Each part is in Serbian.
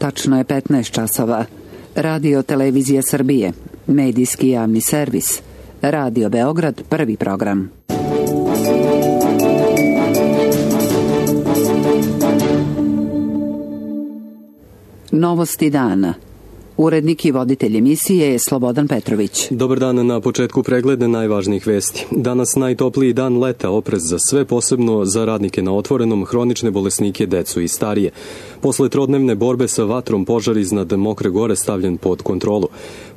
Tačno je 15 časova. Radio Televizija Srbije, medijski javni servis. Radio Beograd, prvi program. Novosti dana. Urednik i voditelj emisije je Slobodan Petrović. Dobar dan, na početku pregleda najvažnijih vesti. Danas najtopliji dan leta, oprez za sve, posebno za radnike na otvorenom, hronične bolesnike, decu i starije. Posle trodnevne borbe sa vatrom, požar iznad Mokre Gore stavljen pod kontrolu.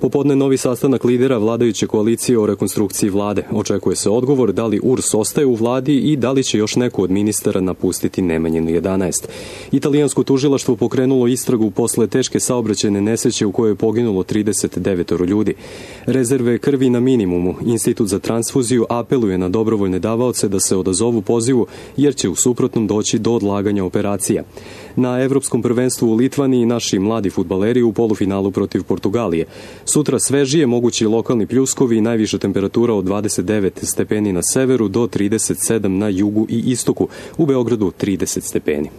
Popodne novi sastanak lidera vladajuće koalicije o rekonstrukciji vlade. Očekuje se odgovor da li URS ostaje u vladi i da li će još neko od ministara napustiti Nemanjinu 11. Italijansko tužilaštvo pokrenulo istragu posle teške saobraćajne nesreće u kojoj je poginulo 39 ljudi. Rezerve krvi na minimumu. Institut za transfuziju apeluje na dobrovoljne davaoce da se odazovu pozivu, jer će u suprotnom doći do odlaganja operacija. Na Evropskom prvenstvu u Litvaniji naši mladi fudbaleri u polufinalu protiv Portugalije. Sutra svežije, mogući lokalni pljuskovi i najviša temperatura od 29 stepeni na severu do 37 na jugu i istoku. U Beogradu 30 stepeni.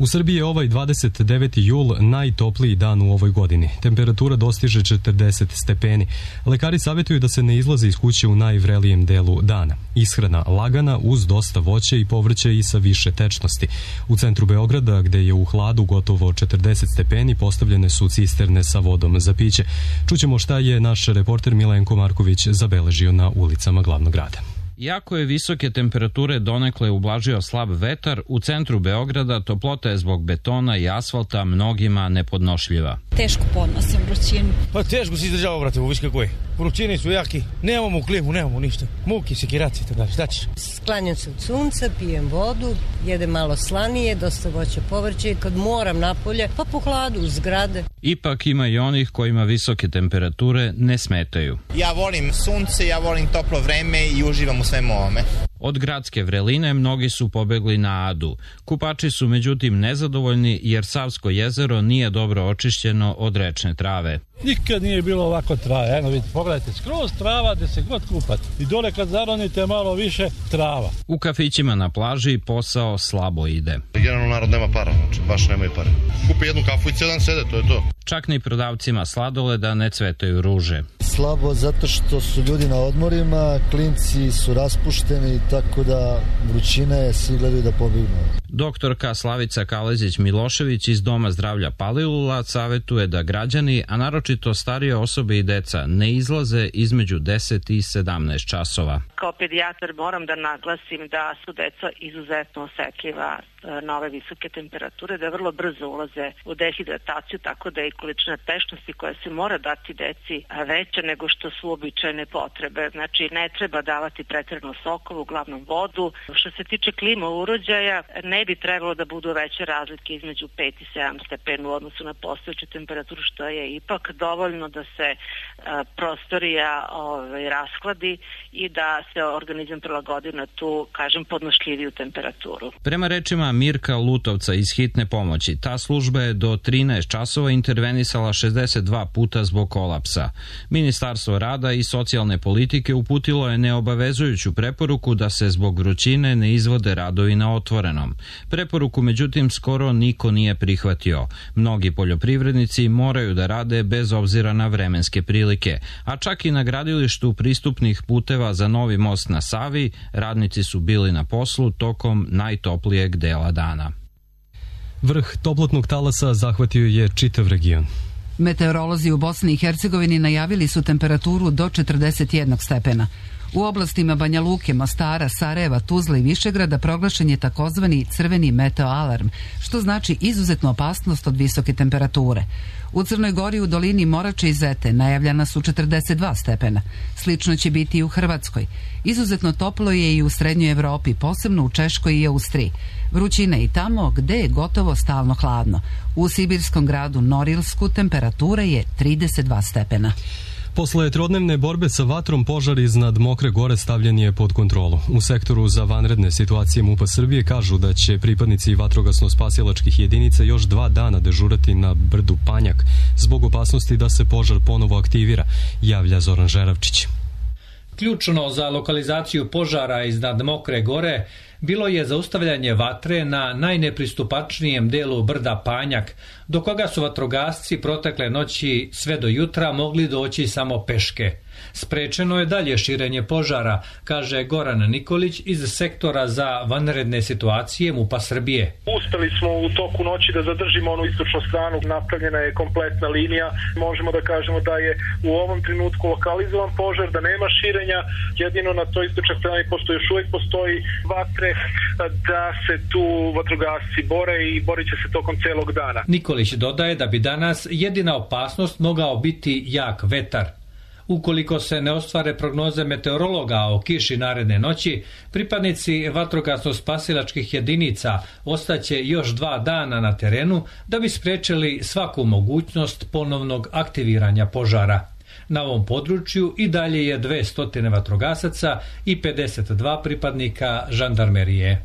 U Srbiji je ovaj 29. jul najtopliji dan u ovoj godini. Temperatura dostiže 40 stepeni. Lekari savjetuju da se ne izlaze iz kuće u najvrelijem delu dana. Ishrana lagana uz dosta voća i povrća i sa više tečnosti. U centru Beograda, gde je u hladu gotovo 40 stepeni, postavljene su cisterne sa vodom za piće. Čućemo šta je naš reporter Milenko Marković zabeležio na ulicama glavnog grada. Iako je visoke temperature donekle ublažio slab vetar, u centru Beograda toplota je zbog betona i asfalta mnogima nepodnošljiva. Teško podnosim vrućinu. Pa teško se izdržava, brate, viš kako je. Vrućini su jaki, nemamo klimu, nemamo ništa. Muki, sekiraci, tako dalje, šta ćeš? Sklanjam se od sunca, pijem vodu, jedem malo slanije, dosta voća, povrće. Kad moram napolje, pa po hladu, u zgrade. Ipak ima i onih kojima visoke temperature ne smetaju. Ja volim sunce, ja volim toplo vreme i uživam u svemu ovome. Od gradske vreline mnogi su pobegli na Adu. Kupači su međutim nezadovoljni jer Savsko jezero nije dobro očišćeno od rečne trave. Nikad nije bilo ovako trave. Eno vidite, pogledajte, skroz trava gde se god kupate. I dole kad zaronite malo više, trava. U kafićima na plaži posao slabo ide. Generalno narod nema para, znači baš nemaju pare. Kupe jednu kafu i cijel dan sede, to je to. Čak ni prodavcima sladoleda ne cvetaju ruže. Slabo zato što su ljudi na odmorima, klinci su raspušteni, tako da vrućina je, svi gledaju da pobegnu. Doktorka Slavica Kalezić-Milošević iz Doma zdravlja Palilula savjetuje da građani, a naročito starije osobe i deca, ne izlaze između 10 i 17 časova. Kao pedijatar moram da naglasim da su deca izuzetno osetljiva na ove visoke temperature, da vrlo brzo ulaze u dehidrataciju, tako da je i količina tečnosti koja se mora dati deci veća nego što su uobičajene potrebe. Znači, ne treba davati pretjerano sokova, uglavnom vodu. Što se tiče klima uređaja, ne bi trebalo da budu veće razlike između 5 i 7 stepeni u odnosu na postojeću temperaturu, što je ipak dovoljno da se prostorija raskladi i da se organizam prilagodi na tu, kažem, podnošljiviju temperaturu. Prema rečima Mirka Lutovca iz Hitne pomoći, ta služba je do 13 časova intervenisala 62 puta zbog kolapsa. Ministarstvo rada i socijalne politike uputilo je neobavezujuću preporuku da se zbog vrućine ne izvode radovi na otvorenom. Preporuku, međutim, skoro niko nije prihvatio. Mnogi poljoprivrednici moraju da rade bez obzira na vremenske prilike, a čak i na gradilištu pristupnih puteva za novi most na Savi radnici su bili na poslu tokom najtoplijeg dela dana. Vrh toplotnog talasa zahvatio je čitav region. Meteorolozi u Bosni i Hercegovini najavili su temperaturu do 41 stepena. U oblastima Banja Luke, Mostara, Sarajeva, Tuzle i Višegrada proglašen je takozvani crveni meteoalarm, što znači izuzetnu opasnost od visoke temperature. U Crnoj Gori u dolini Morače i Zete najavljena su 42 stepena. Slično će biti i u Hrvatskoj. Izuzetno toplo je i u Srednjoj Evropi, posebno u Češkoj i Austriji. Vrućina je i tamo gde je gotovo stalno hladno. U sibirskom gradu Norilsku temperatura je 32 stepena. Posle trodnevne borbe sa vatrom, požar iznad Mokre Gore stavljen je pod kontrolu. U sektoru za vanredne situacije MUP-a Srbije kažu da će pripadnici vatrogasno-spasilačkih jedinica još 2 dana dežurati na brdu Panjak zbog opasnosti da se požar ponovo aktivira, javlja Zoran Žeravčić. Ključno za lokalizaciju požara iznad Mokre Gore bilo je zaustavljanje vatre na najnepristupačnijem delu brda Panjak, do koga su vatrogasci protekle noći sve do jutra mogli doći samo peške. Sprečeno je dalje širenje požara, kaže Goran Nikolić iz sektora za vanredne situacije MUP-a Srbije. Uspeli smo u toku noći da zadržimo onu istočnu stranu, napravljena je kompletna linija. Možemo da kažemo da je u ovom trenutku lokalizovan požar, da nema širenja, jedino na toj istočnoj strani pošto još uvijek postoji vatre, da se tu vatrogasci bore i borit će se tokom celog dana. Nikolić dodaje da bi danas jedina opasnost mogao biti jak vetar. Ukoliko se ne ostvare prognoze meteorologa o kiši naredne noći, pripadnici vatrogasno-spasilačkih jedinica ostaće još 2 dana na terenu da bi sprečili svaku mogućnost ponovnog aktiviranja požara. Na ovom području i dalje je 200 vatrogasaca i 52 pripadnika žandarmerije.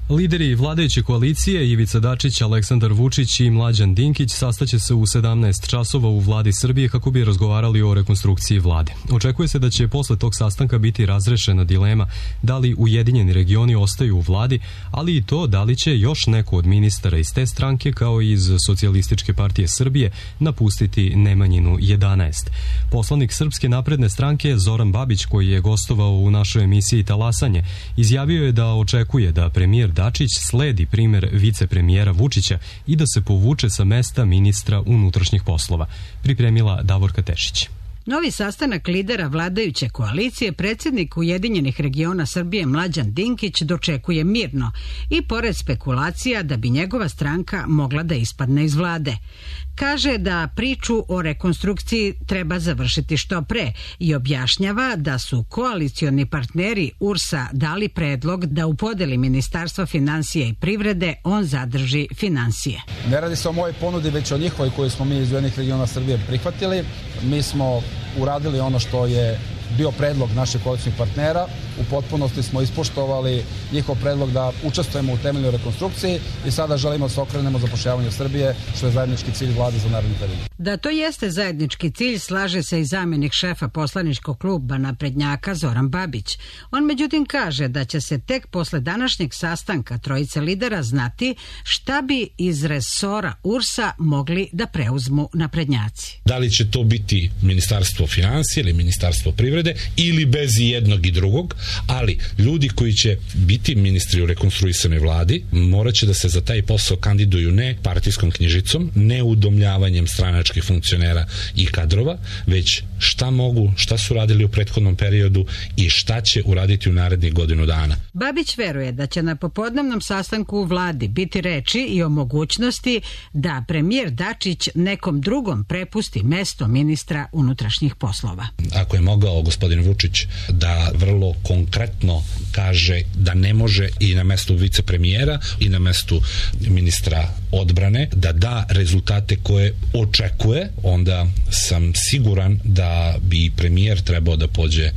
Lideri vladajuće koalicije Ivica Dačić, Aleksandar Vučić i Mlađan Dinkić sastaće se u 17 časova u vladi Srbije kako bi razgovarali o rekonstrukciji vlade. Očekuje se da će posle tog sastanka biti razrešena dilema da li Ujedinjeni regioni ostaju u vladi, ali i to da li će još neko od ministara iz te stranke kao i iz Socijalističke partije Srbije napustiti Nemanjinu 11. Poslanik Srpske napredne stranke Zoran Babić, koji je gostovao u našoj emisiji Talasanje, izjavio je da očekuje da premijer Dačić sledi primer vicepremijera Vučića i da se povuče sa mesta ministra unutrašnjih poslova. Pripremila Davorka Tešić. Novi sastanak lidera vladajuće koalicije predsjednik Ujedinjenih regiona Srbije Mlađan Dinkić dočekuje mirno i pored spekulacija da bi njegova stranka mogla da ispadne iz vlade. Kaže da priču o rekonstrukciji treba završiti što pre i objašnjava da su koalicioni partneri URS-a dali predlog da u podeli Ministarstva finansija i privrede on zadrži finansije. Ne radi se o mojoj ponudi, već o njihovoj koju smo mi iz Ujedinjenih regiona Srbije prihvatili. Mi smo uradili ono što je bio predlog naših koalicijnih partnera. U potpunosti smo ispoštovali njihov predlog da učestvujemo u temeljnoj rekonstrukciji i sada želimo da se okrenemo zapošljavanju Srbije, što je zajednički cilj vlade za naredni period. Da to jeste zajednički cilj, slaže se i zamjenik šefa poslaničkog kluba naprednjaka Zoran Babić. On međutim kaže da će se tek posle današnjeg sastanka trojice lidera znati šta bi iz resora URS-a mogli da preuzmu naprednjaci. Da li će to biti Ministarstvo finansija ili Ministarstvo privrede ili bez jednog i drugog, ali ljudi koji će biti ministri u rekonstruisanoj vladi morat će da se za taj posao kandiduju ne partijskom knjižicom, ne udomljavanjem stranačkih funkcionera i kadrova, već šta mogu, šta su radili u prethodnom periodu i šta će uraditi u narednih godinu dana. Babić veruje da će na popodnevnom sastanku u vladi biti reči i o mogućnosti da premijer Dačić nekom drugom prepusti mesto ministra unutrašnjih poslova. Ako je mogao gospodin Vučić da vrlo konkretno kaže da ne može i na mestu vicepremijera i na mestu ministra odbrane da da rezultate koje očekuje, onda sam siguran da bi premijer trebao da pođe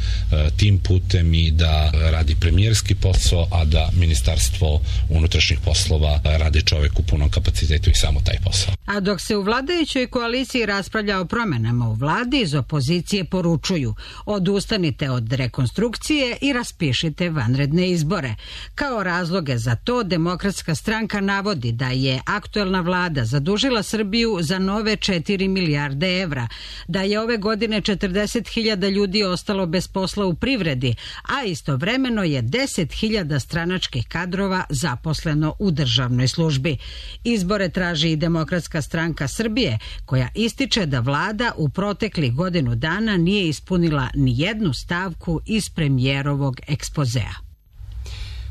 tim putem i da radi premijerski posao, a da Ministarstvo unutrašnjih poslova radi čovek u punom kapacitetu i samo taj posao. A dok se u vladajućoj koaliciji raspravlja o promenama u vladi, iz opozicije poručuju: odustanite od rekonstrukcije i raspišite vanredne izbore. Kao razloge za to Demokratska stranka navodi da je aktuelna vlada zadužila Srbiju za nove 4 milijarde evra, da je ove godine 40.000 ljudi ostalo bez posla u privredi, a istovremeno je 10.000 stranačkih kadrova zaposleno u državnoj službi. Izbore traži i Demokratska stranka Srbije, koja ističe da vlada u proteklih godinu dana nije ispunila ni jednu stavku iz premijerovog ekspozea.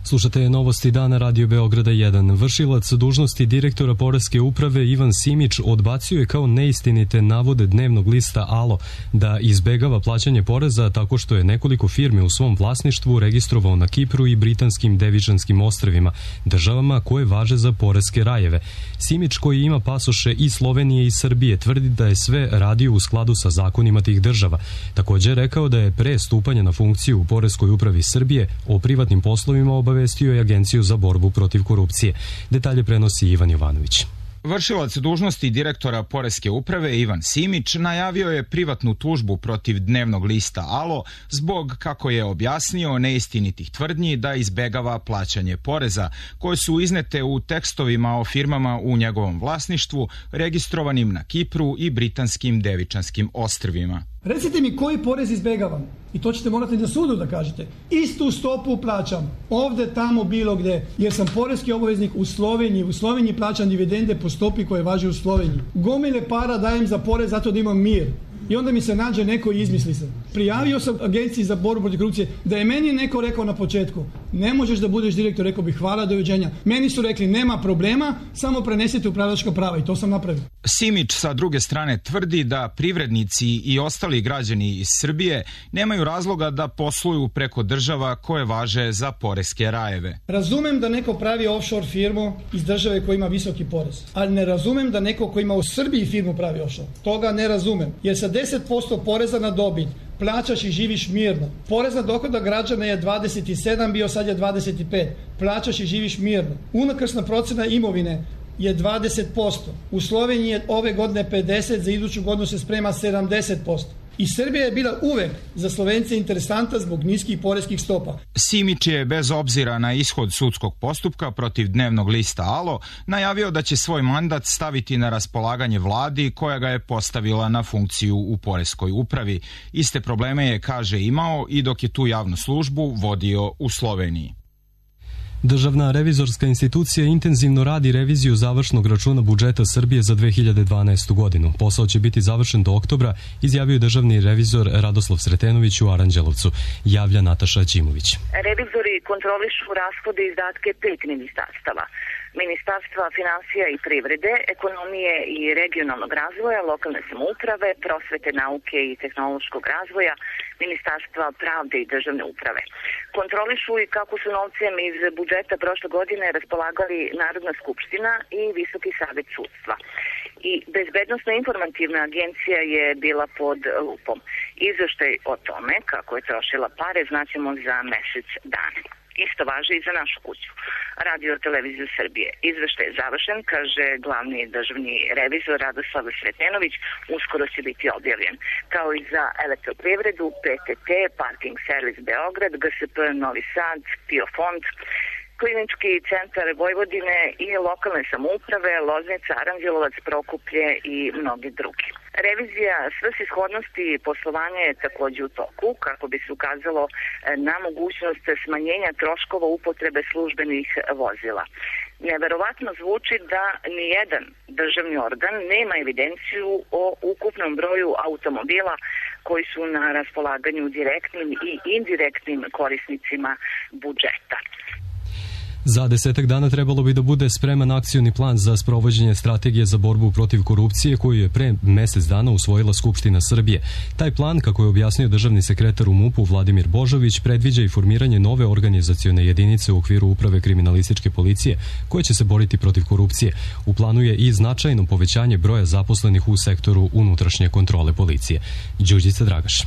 Slušate novosti dana Radio Beograda 1. Vršilac dužnosti direktora Poreske uprave Ivan Simić odbacio je kao neistinite navode dnevnog lista Alo da izbegava plaćanje poreza tako što je nekoliko firmi u svom vlasništvu registrovao na Kipru i Britanskim Devičanskim ostrvima, državama koje važe za poreske rajeve. Simić, koji ima pasoše i Slovenije i Srbije, tvrdi da je sve radio u skladu sa zakonima tih država. Također je rekao da je pre stupanja na funkciju u Poreskoj upravi Srbije o privatnim poslovima obavestio je Agenciju za borbu protiv korupcije. Detalje prenosi Ivan Jovanović. Vršilac dužnosti direktora Poreske uprave Ivan Simić najavio je privatnu tužbu protiv dnevnog lista Alo zbog, kako je objasnio, neistinitih tvrdnji da izbegava plaćanje poreza koje su iznete u tekstovima o firmama u njegovom vlasništvu registrovanim na Kipru i britanskim Devičanskim ostrvima. Recite mi koji porez izbegavam i to ćete morati na sudu da kažete. Istu stopu plaćam ovde, tamo, bilo gde, jer sam poreski obaveznik u Sloveniji. U Sloveniji plaćam dividende po stopi koje važi u Sloveniji. Gomile para dajem za porez zato da imam mir. I onda mi se nađe neko i izmisli se. Prijavio sam Agenciji za borbu protiv korupcije da je meni neko rekao na početku: ne možeš da budeš direktor, rekao bih hvala, doviđenja. Meni su rekli nema problema, samo prenesite upravljačka prava i to sam napravio. Simić sa druge strane tvrdi da privrednici i ostali građani iz Srbije nemaju razloga da posluju preko država koje važe za poreske rajeve. Razumem da neko pravi offshore firmu iz države koja ima visoki porez, ali ne razumem da neko ko ima u Srbiji firmu pravi offshore. Toga ne razumem, jer sa 10% poreza na dobit plaćaš i živiš mirno. Porez na dohodak građana je 27, bio sad je 25. Plaćaš i živiš mirno. Unakrsna procena imovine je 20%. U Sloveniji je ove godine 50%, za iduću godinu se sprema 70%. I Srbija je bila uvek za Slovence interesanta zbog niskih poreskih stopa. Simić je, bez obzira na ishod sudskog postupka protiv dnevnog lista Alo, najavio da će svoj mandat staviti na raspolaganje vladi koja ga je postavila na funkciju u poreskoj upravi. Iste probleme je, kaže, imao i dok je tu javnu službu vodio u Sloveniji. Državna revizorska institucija intenzivno radi reviziju završnog računa budžeta Srbije za 2012. godinu. Posao će biti završen do oktobra, izjavio je državni revizor Radoslav Sretenović u Aranđelovcu. Javlja Nataša Đimović. Revizori kontrolišu rashode i izdatke 5 ministarstava: Ministarstva finansija i privrede, ekonomije i regionalnog razvoja, lokalne samouprave, prosvete, nauke i tehnološkog razvoja, Ministarstva pravde i državne uprave. Kontrolišu i kako su novcem iz budžeta prošle godine raspolagali Narodna skupština i Visoki savet sudstva. I Bezbednosno-informativna agencija je bila pod lupom. Izveštaj o tome kako je trošila pare znaćemo za mesec dana. Isto važi i za našu kuću, Radio Televiziju Srbije. Izveštaj je završen, kaže glavni državni revizor Radoslav Sretenović, uskoro će biti objavljen. Kao i za Elektroprivredu, PTT, Parking Servis Beograd, GSP Novi Sad, PIO Fond, Klinički centar Vojvodine i lokalne samouprave, Loznica, Aranđelovac, Prokuplje i mnogi drugi. Revizija svrsishodnosti poslovanja je takođe u toku kako bi se ukazalo na mogućnost smanjenja troškova upotrebe službenih vozila. Neverovatno zvuči da nijedan državni organ nema evidenciju o ukupnom broju automobila koji su na raspolaganju direktnim i indirektnim korisnicima budžeta. Za 10 dana trebalo bi da bude spreman akcioni plan za sprovođenje strategije za borbu protiv korupcije koju je pre mesec dana usvojila Skupština Srbije. Taj plan, kako je objasnio državni sekretar u MUP-u Vladimir Božović, predviđa i formiranje nove organizacione jedinice u okviru Uprave kriminalističke policije koje će se boriti protiv korupcije. U planu je i značajno povećanje broja zaposlenih u sektoru unutrašnje kontrole policije. Đurđica Dragaš.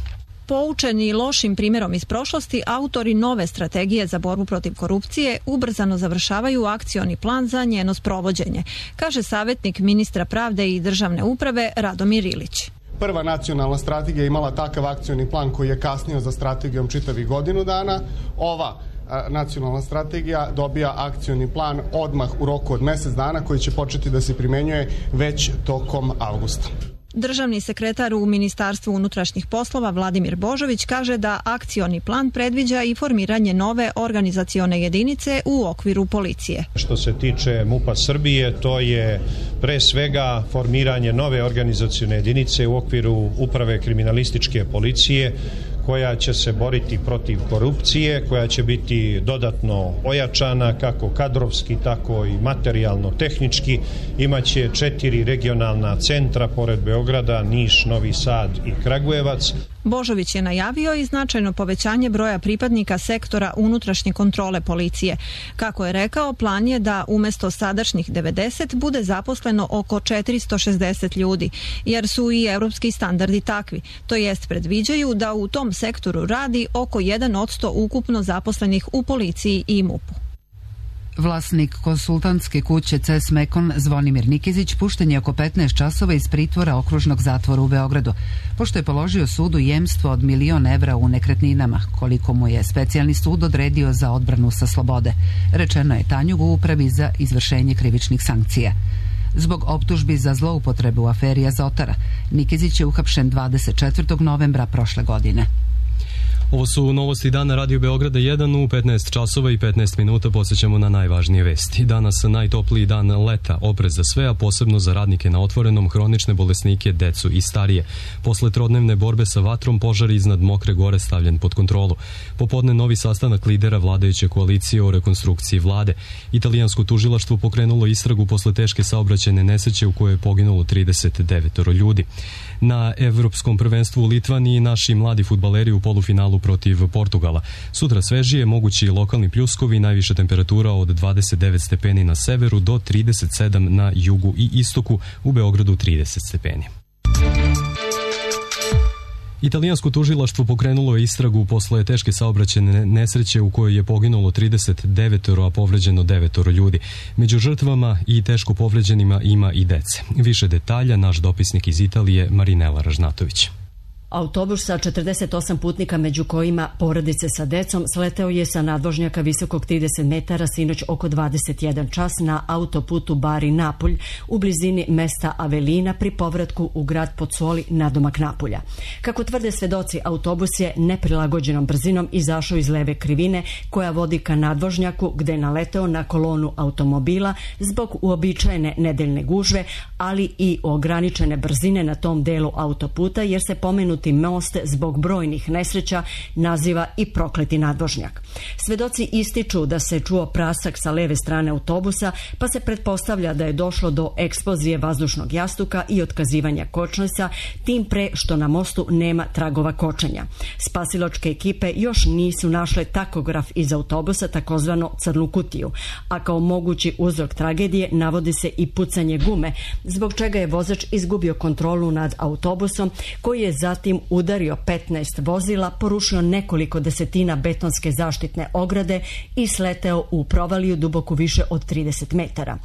Poučeni lošim primjerom iz prošlosti, autori nove strategije za borbu protiv korupcije ubrzano završavaju akcioni plan za njeno sprovođenje, kaže savjetnik ministra pravde i državne uprave Radomir Ilić. Prva nacionalna strategija imala takav akcioni plan koji je kasnio za strategijom čitavih godinu dana. Ova nacionalna strategija dobija akcioni plan odmah u roku od mesec dana koji će početi da se primenjuje već tokom avgusta. Državni sekretar u Ministarstvu unutrašnjih poslova Vladimir Božović kaže da akcioni plan predviđa i formiranje nove organizacione jedinice u okviru policije. Što se tiče MUP-a Srbije, to je pre svega formiranje nove organizacione jedinice u okviru Uprave kriminalističke policije koja će se boriti protiv korupcije, koja će biti dodatno ojačana kako kadrovski, tako i materijalno-tehnički. Imaće 4 regionalna centra pored Beograda, Niš, Novi Sad i Kragujevac. Božović je najavio i značajno povećanje broja pripadnika sektora unutrašnje kontrole policije. Kako je rekao, plan je da umesto sadašnjih 90 bude zaposleno oko 460 ljudi, jer su i evropski standardi takvi. To jest predviđaju da u tom sektoru radi oko 1% ukupno zaposlenih u policiji i MUP-u. Vlasnik konsultantske kuće CS Mekon Zvonimir Nikezić pušten je oko 15 časova iz pritvora okružnog zatvora u Beogradu, pošto je položio sudu jemstvo od 1.000.000 evra u nekretninama, koliko mu je specijalni sud odredio za odbranu sa slobode. Rečeno je Tanjugu u upravi za izvršenje krivičnih sankcija. Zbog optužbi za zloupotrebu u aferi Azotara, Nikezić je uhapšen 24. novembra prošle godine. Ovo su novosti dana Radio Beograda 1 u 15 časova i 15 minuta. Podsjećamo na najvažnije vesti. Danas najtopliji dan leta, oprez za sve, a posebno za radnike na otvorenom, hronične bolesnike, decu i starije. Posle trodnevne borbe sa vatrom, požar iznad Mokre Gore stavljen pod kontrolu. Popodne novi sastanak lidera vladajuće koalicije o rekonstrukciji vlade. Italijansko tužilaštvo pokrenulo istragu posle teške saobraćajne nesreće u kojoj je poginulo 39 ljudi. Na Evropskom prvenstvu u Litvaniji naši mladi fudbaleri u polufinalu protiv Portugala. Sutra svežije, mogući lokalni pljuskovi, najviša temperatura od 29 stepeni na severu do 37 na jugu i istoku, u Beogradu 30 stepeni. Italijansko tužilaštvo pokrenulo je istragu posle teške saobraćajne nesreće u kojoj je poginulo 39, a povređeno 9 ljudi. Među žrtvama i teško povređenima ima i dece. Više detalja naš dopisnik iz Italije Marinela Ražnatović. Autobus sa 48 putnika, među kojima porodice sa decom, sleteo je sa nadvožnjaka visokog 30 metara sinoć oko 21 čas na autoputu Bari-Napulj u blizini mesta Avelina pri povratku u grad Pozzoli nadomak Napulja. Kako tvrde svedoci, autobus je neprilagođenom brzinom izašao iz leve krivine koja vodi ka nadvožnjaku, gde je naleteo na kolonu automobila zbog uobičajene nedeljne gužve, ali i ograničene brzine na tom delu autoputa, jer se pomenuti most zbog brojnih nesreća naziva i prokleti nadvožnjak. Svedoci ističu da se čuo prasak sa leve strane autobusa, pa se pretpostavlja da je došlo do eksplozije vazdušnog jastuka i otkazivanja kočnica, tim pre što na mostu nema tragova kočenja. Spasilačke ekipe još nisu našle takograf iz autobusa, takozvano crnu kutiju, a kao mogući uzrok tragedije navodi se i pucanje gume, zbog čega je vozač izgubio kontrolu nad autobusom, koji je zatim udario 15 vozila, porušio nekoliko desetina betonske zaštitne ograde i sleteo u provaliju duboku više od 30 metara.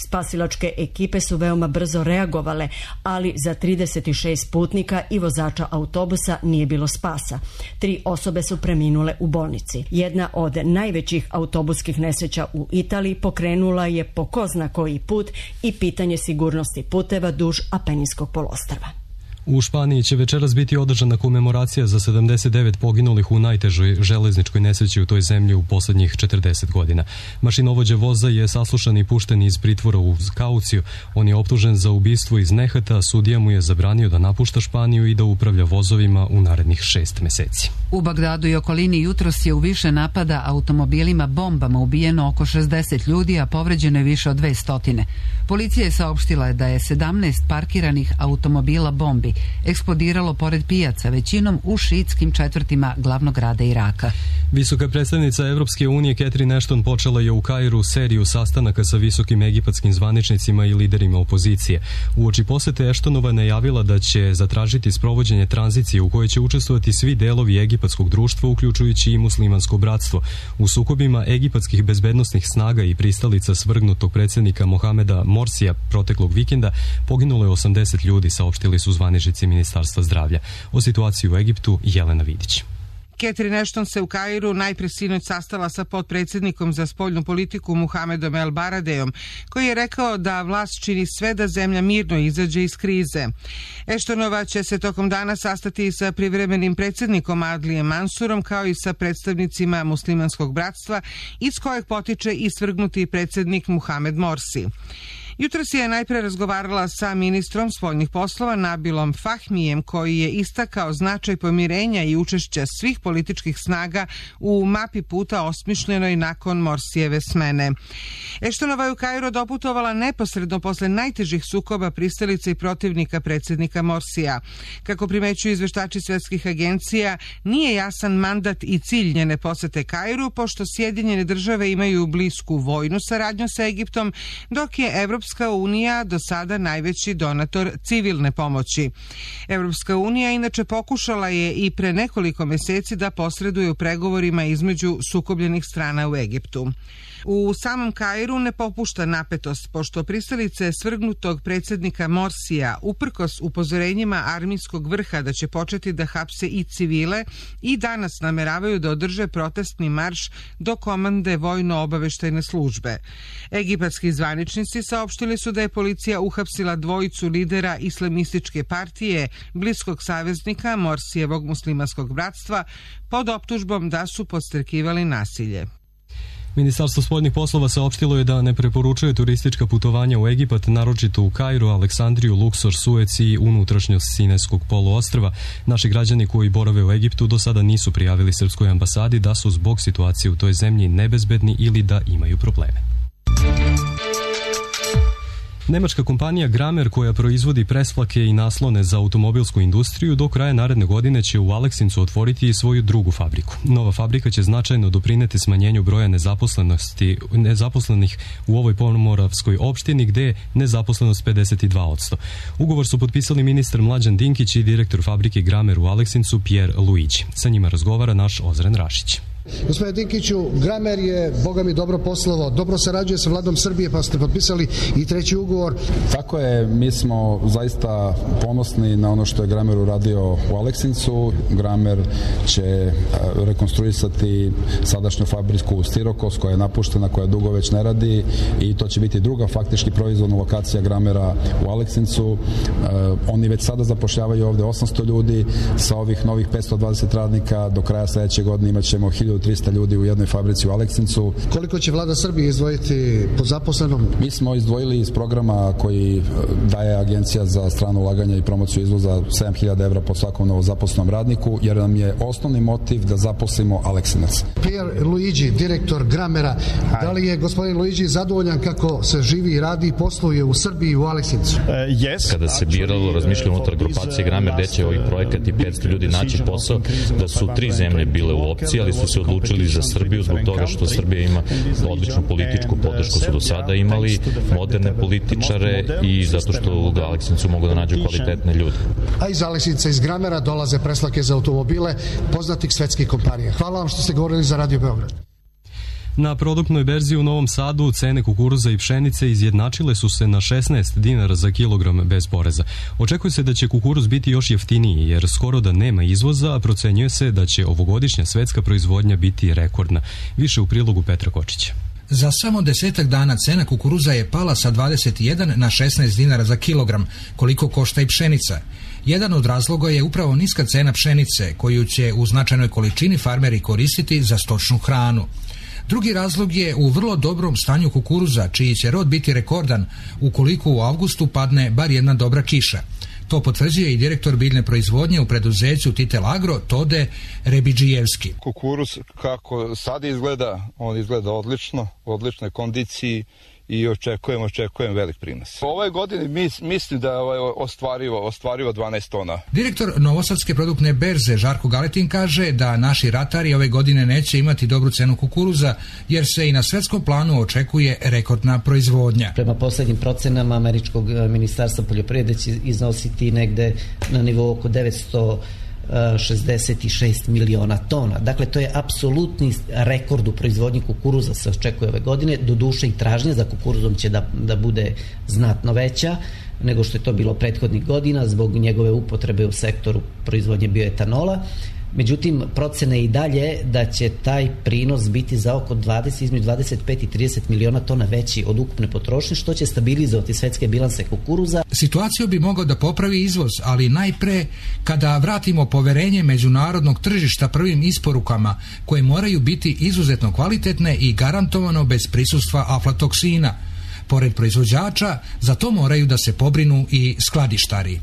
Spasilačke ekipe su veoma brzo reagovale, ali za 36 putnika i vozača autobusa nije bilo spasa. 3 osobe su preminule u bolnici. Jedna od najvećih autobuskih nesreća u Italiji pokrenula je po ko zna koji put i pitanje sigurnosti puteva duž Apeninskog poluostrva. U Španiji će večeras biti održana komemoracija za 79 poginulih u najtežoj železničkoj nesreći u toj zemlji u poslednjih 40 godina. Mašinovođa voza je saslušan i pušten iz pritvora u kauciju. On je optužen za ubistvo iz nehata, sudija mu je zabranio da napušta Španiju i da upravlja vozovima u narednih 6 meseci. U Bagdadu i okolini jutros je u više napada automobilima bombama ubijeno oko 60 ljudi, a povređeno je više od 200. Policija je saopštila da je 17 parkiranih automobila bombi eksplodiralo pored pijaca, većinom u šiitskim četvrtima glavnog grada Iraka. Visoka predstavnica Evropske unije Catherine Ashton počela je u Kairu seriju sastanaka sa visokim egipatskim zvaničnicima i liderima opozicije. Uoči posete Ashtonova najavila da će zatražiti sprovođenje tranzicije u kojoj će učestvovati svi delovi egipatskog društva, uključujući i muslimansko bratstvo. U sukobima egipatskih bezbednosnih snaga i pristalica svrgnutog predsjednika Mohameda Morsija proteklog vikenda poginulo je 80 ljudi, saopštili su zvaničnici Ministarstva zdravlja. O situaciji u Egiptu Jelena Vidić. Catherine Ashton se u Kairu najpre sinoć sastala sa potpredsjednikom za spoljnu politiku Muhamedom El Baradejom, koji je rekao da vlast čini sve da zemlja mirno izađe iz krize. Ashtonova će se tokom dana sastati i sa privremenim predsjednikom Adlijem Mansurom, kao i sa predstavnicima muslimanskog bratstva, iz kojeg potiče i svrgnuti predsjednik Muhamed Morsi. Jutros je najpre razgovarala sa ministrom spoljnih poslova Nabilom Fahmijem, koji je istakao značaj pomirenja i učešća svih političkih snaga u mapi puta osmišljenoj nakon Morsijeve smene. Ashtonova je u Kairu doputovala neposredno posle najtežih sukoba pristalica i protivnika predsjednika Morsija. Kako primećuju izveštači svetskih agencija, nije jasan mandat i cilj njene posete Kairu, pošto Sjedinjene države imaju blisku vojnu saradnju sa Egiptom, dok je Evropska Evropska unija do sada najveći donator civilne pomoći. Evropska unija inače pokušala je i pre nekoliko meseci da posreduje u pregovorima između sukobljenih strana u Egiptu. U samom Kairu ne popušta napetost, pošto pristalice svrgnutog predsjednika Morsija, uprkos upozorenjima armijskog vrha da će početi da hapse i civile, i danas nameravaju da održe protestni marš do komande vojno-obaveštajne službe. Egipatski zvaničnici saopštili su da je policija uhapsila dvojicu lidera islamističke partije, bliskog saveznika Morsijevog muslimanskog bratstva, pod optužbom da su podstrekivali nasilje. Ministarstvo spoljnih poslova saopštilo je da ne preporučuje turistička putovanja u Egipat, naročito u Kairu, Aleksandriju, Luksor, Suec i unutrašnjost Sinajskog poluostrva. Naši građani koji borave u Egiptu do sada nisu prijavili srpskoj ambasadi da su zbog situacije u toj zemlji nebezbedni ili da imaju probleme. Nemačka kompanija Gramer, koja proizvodi presplake i naslone za automobilsku industriju, do kraja naredne godine će u Aleksincu otvoriti svoju drugu fabriku. Nova fabrika će značajno doprineti smanjenju broja nezaposlenih u ovoj pomoravskoj opštini, gde je nezaposlenost 52%. Ugovor su potpisali ministar Mlađan Dinkić i direktor fabrike Gramer u Aleksincu Pierre Luigi. Sa njima razgovara naš Ozren Rašić. Gospodine Dinkiću, Gramer je, boga mi, dobro poslovao, dobro sarađuje sa vladom Srbije, pa ste potpisali i treći ugovor. Tako je, mi smo zaista ponosni na ono što je Gramer uradio u Aleksincu. Gramer će rekonstruisati sadašnju fabriku Stirokos, koja je napuštena, koja dugo već ne radi, i to će biti druga faktički proizvodna lokacija Gramera u Aleksincu. Oni već sada zapošljavaju ovde 800 ljudi, sa ovih novih 520 radnika do kraja sledeće godine imaćemo 1300 ljudi u jednoj fabrici u Aleksincu. Koliko će vlada Srbije izdvojiti po zaposlenom? Mi smo izdvojili iz programa koji daje Agencija za strano ulaganje i promociju izvoza 7.000 evra po svakom novozaposlenom radniku, jer nam je osnovni motiv da zaposlimo Aleksinac. Pierre Luigi, direktor Gramera, da li je gospodin Luigi zadovoljan kako se živi, radi i posluje u Srbiji u Aleksincu? Kada se biralo, razmišljamo unutar grupacije Gramer gde će ovih projekat i 500 ljudi naći posao, da su 3 zemlje bile u opciji, ali su se odlučili za Srbiju zbog toga što Srbija ima odličnu političku podršku, su do sada imali moderne političare i zato što u Aleksincu mogu da nađu kvalitetne ljude. A iz Aleksinca, iz Gramera dolaze preslake za automobile poznatih svetskih kompanija. Hvala vam što ste govorili za Radio Beograd. Na produktnoj berzi u Novom Sadu cene kukuruza i pšenice izjednačile su se na 16 dinara za kilogram bez poreza. Očekuje se da će kukuruz biti još jeftiniji, jer skoro da nema izvoza, a procenjuje se da će ovogodišnja svetska proizvodnja biti rekordna. Više u prilogu Petra Kočića. Za samo 10 dana cena kukuruza je pala sa 21 na 16 dinara za kilogram, koliko košta i pšenica. Jedan od razloga je upravo niska cena pšenice, koju će u značajnoj količini farmeri koristiti za stočnu hranu. Drugi razlog je u vrlo dobrom stanju kukuruza, čiji će rod biti rekordan ukoliko u avgustu padne bar jedna dobra kiša. To potvrđuje i direktor biljne proizvodnje u preduzeću Titel Agro, Tode Rebidžijevski. Kukuruz kako sad izgleda, on izgleda odlično, u odličnoj kondiciji i očekujem velik prinos. Ove godine mislim da je ostvarivo 12 tona. Direktor Novosadske produktne berze Žarko Galetin kaže da naši ratari ove godine neće imati dobru cenu kukuruza, jer se i na svetskom planu očekuje rekordna proizvodnja. Prema poslednjim procenama Američkog ministarstva poljoprivrede će iznositi negde na nivou oko 966 miliona tona. Dakle, to je apsolutni rekord u proizvodnji kukuruza se očekuje ove godine. Doduše i tražnja za kukuruzom će da bude znatno veća nego što je to bilo prethodnih godina zbog njegove upotrebe u sektoru proizvodnje bioetanola. Međutim, procene i dalje da će taj prinos biti za oko između 25 i 30 miliona tona veći od ukupne potrošnje, što će stabilizovati svetske bilanse kukuruza. Situaciju bi mogao da popravi izvoz, ali najpre kada vratimo poverenje međunarodnog tržišta prvim isporukama, koje moraju biti izuzetno kvalitetne i garantovano bez prisustva aflatoksina. Pored proizvođača, za to moraju da se pobrinu i skladištari.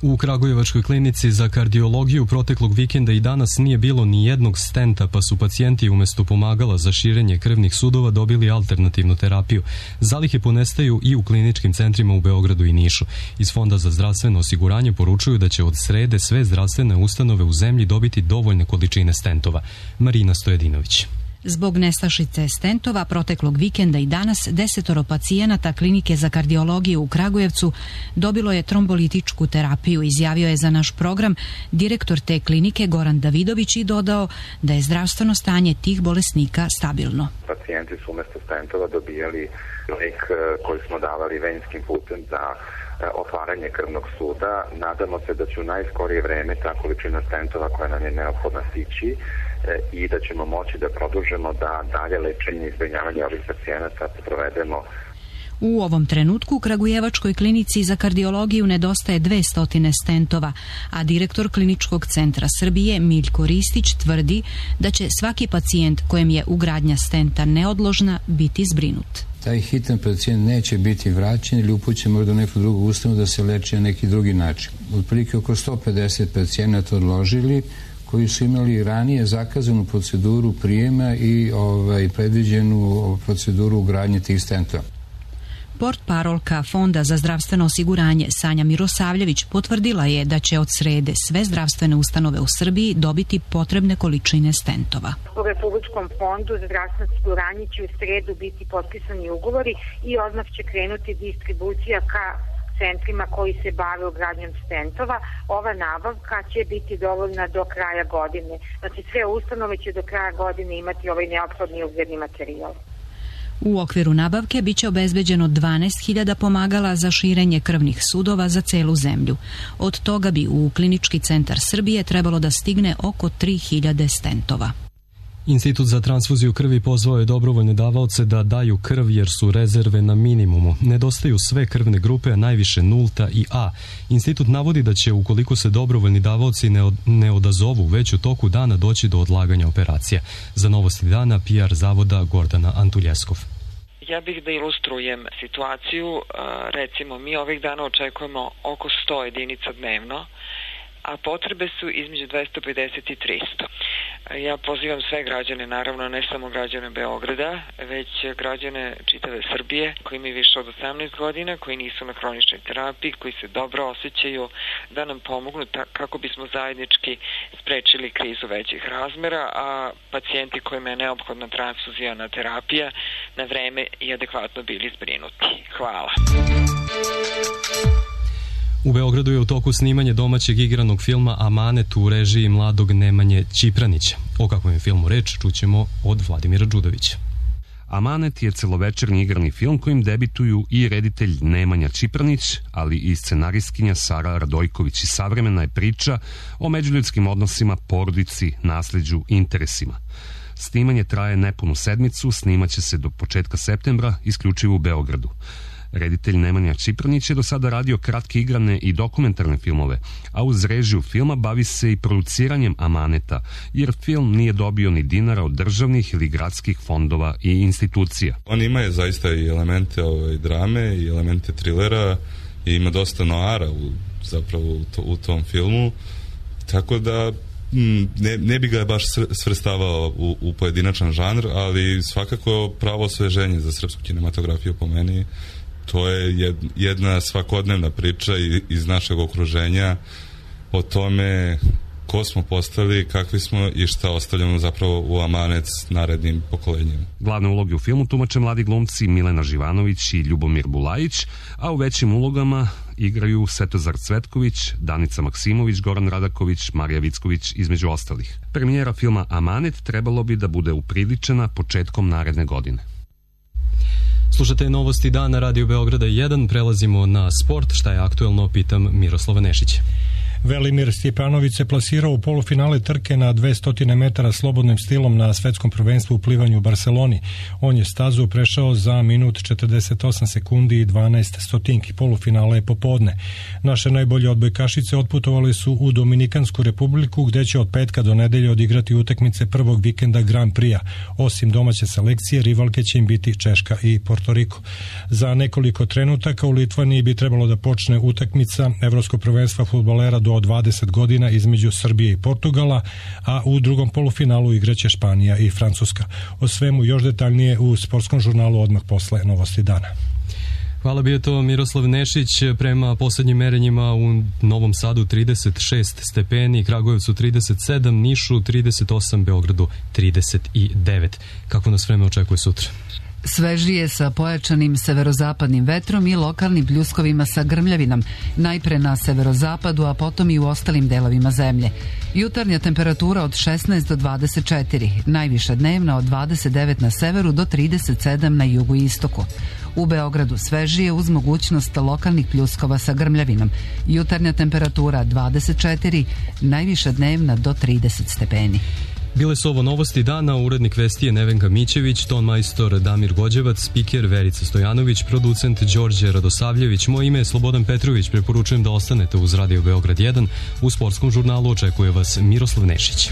U Kragujevačkoj klinici za kardiologiju proteklog vikenda i danas nije bilo ni jednog stenta, pa su pacijenti umesto pomagala za širenje krvnih sudova dobili alternativnu terapiju. Zalihe ponestaju i u kliničkim centrima u Beogradu i Nišu. Iz Fonda za zdravstveno osiguranje poručuju da će od srede sve zdravstvene ustanove u zemlji dobiti dovoljne količine stentova. Marina Stojedinović. Zbog nestašice stentova proteklog vikenda i danas 10 pacijenata klinike za kardiologiju u Kragujevcu dobilo je trombolitičku terapiju, izjavio je za naš program direktor te klinike Goran Davidović i dodao da je zdravstveno stanje tih bolesnika stabilno. Pacijenti su umjesto stentova dobijali lek koji smo davali venjskim putem za otvaranje krvnog suda. Nadamo se da će u najskorije vreme ta količina stentova koja nam je neophodna stići i da ćemo moći da produžimo da dalje lečenje i zbrinjavanje ovih pacijenata provedemo. U ovom trenutku u Kragujevačkoj klinici za kardiologiju nedostaje 200 stentova, a direktor Kliničkog centra Srbije Miljko Ristić tvrdi da će svaki pacijent kojem je ugradnja stenta neodložna biti zbrinut. Taj hitan pacijent neće biti vraćen ili upućen možda u neku drugu ustanovu da se leči na neki drugi način. Otprilike oko 150 pacijenata odložili koji su imali ranije zakazanu proceduru prijema i predviđenu proceduru ugradnje tih stentova. Portparolka Fonda za zdravstveno osiguranje Sanja Mirosavljević potvrdila je da će od srede sve zdravstvene ustanove u Srbiji dobiti potrebne količine stentova. U Republičkom fondu za zdravstveno osiguranje će u sredu biti potpisani ugovori i odmah će krenuti distribucija ka centrima koji se bave ugradnjom stentova. Ova nabavka će biti dovoljna do kraja godine. Znači sve ustanove će do kraja godine imati ovaj neophodni ugradni materijal. U okviru nabavke biće obezbeđeno 12.000 pomagala za širenje krvnih sudova za celu zemlju. Od toga bi u Klinički centar Srbije trebalo da stigne oko 3.000 stentova. Institut za transfuziju krvi pozvao je dobrovoljne davaoce da daju krv jer su rezerve na minimumu. Nedostaju sve krvne grupe, a najviše nulta i A. Institut navodi da će, ukoliko se dobrovoljni davaoci ne odazovu, već u toku dana doći do odlaganja operacija. Za Novosti dana PR zavoda Gordana Antuljeskov. Ja bih da ilustrujem situaciju. Recimo, mi ovih dana očekujemo oko 100 jedinica dnevno, a potrebe su između 250 i 300. Ja pozivam sve građane, naravno ne samo građane Beograda, već građane čitave Srbije koji imaju više od 18 godina, koji nisu na hroničnoj terapiji, koji se dobro osjećaju, da nam pomognu kako bismo zajednički sprečili krizu većih razmera, a pacijenti kojima je neophodna transfuzijona terapija na vreme i adekvatno bili zbrinuti. Hvala. U Beogradu je u toku snimanje domaćeg igranog filma Amanet u režiji mladog Nemanje Čipranića. O kakvom je filmu reč čućemo od Vladimira Đudovića. Amanet je celovečernji igrani film kojim debituju i reditelj Nemanja Čipranić, ali i scenaristkinja Sara Radojković i savremena je priča o međuljudskim odnosima, porodici, nasleđu, interesima. Snimanje traje nepunu sedmicu, snimaće se do početka septembra, isključivo u Beogradu. Reditelj Nemanja Čipranić je do sada radio kratke igrane i dokumentarne filmove, a uz režiju filma bavi se i produciranjem Amaneta, jer film nije dobio ni dinara od državnih ili gradskih fondova i institucija. On ima zaista i elemente drame i elemente trilera i ima dosta noara u tom filmu, tako da ne bi ga baš svrstavao u pojedinačan žanr, ali svakako pravo osveženje za srpsku kinematografiju po meni. To je jedna svakodnevna priča iz našeg okruženja o tome ko smo postali, kakvi smo i šta ostavljamo zapravo u amanet narednim pokolenjima. Glavne uloge u filmu tumače mladi glumci Milena Živanović i Ljubomir Bulajić, a u većim ulogama igraju Svetozar Cvetković, Danica Maksimović, Goran Radaković, Marija Vicković, između ostalih. Premijera filma Amanet trebalo bi da bude upriličena početkom naredne godine. Slušate Novosti dana Radio Beograda 1, prelazimo na sport, šta je aktuelno, pitam Miroslava Nešića. Velimir Stjepanović se plasirao u polufinale trke na 200 metara slobodnim stilom na svetskom prvenstvu u plivanju u Barceloni. On je stazu prešao za minut 48 sekundi i 12 stotinki. Polufinale je popodne. Naše najbolje odbojkašice otputovali su u Dominikansku republiku, gde će od petka do nedelje odigrati utakmice prvog vikenda Grand Prix-a. Osim domaće selekcije, rivalke će im biti Češka i Porto Riko. Za nekoliko trenutaka u Litvaniji bi trebalo da počne utakmica Evropskog prvenstva fudbalera do 20 godina između Srbije i Portugala, a u drugom polufinalu igraće Španija i Francuska. O svemu još detaljnije u sportskom žurnalu odmah posle Novosti dana. Hvala, bio to Miroslav Nešić. Prema poslednjim merenjima u Novom Sadu 36 stepeni, Kragujevcu 37, Nišu 38, Beogradu 39. Kako nas vreme očekuje sutra? Svežije sa pojačanim severozapadnim vetrom i lokalnim pljuskovima sa grmljavinom, najpre na severozapadu, a potom i u ostalim delovima zemlje. Jutarnja temperatura od 16 do 24, najviša dnevna od 29 na severu do 37 na jugu i istoku. U Beogradu svežije uz mogućnost lokalnih pljuskova sa grmljavinom. Jutarnja temperatura 24, najviša dnevna do 30 stepeni. Bile su ovo novosti dana, urednik vesti je Nevenka Mićević, ton majstor Damir Gođevac, spiker Verica Stojanović, producent Đorđe Radosavljević. Moje ime je Slobodan Petrović, preporučujem da ostanete uz Radio Beograd 1. U sportskom žurnalu očekuje vas Miroslav Nešić.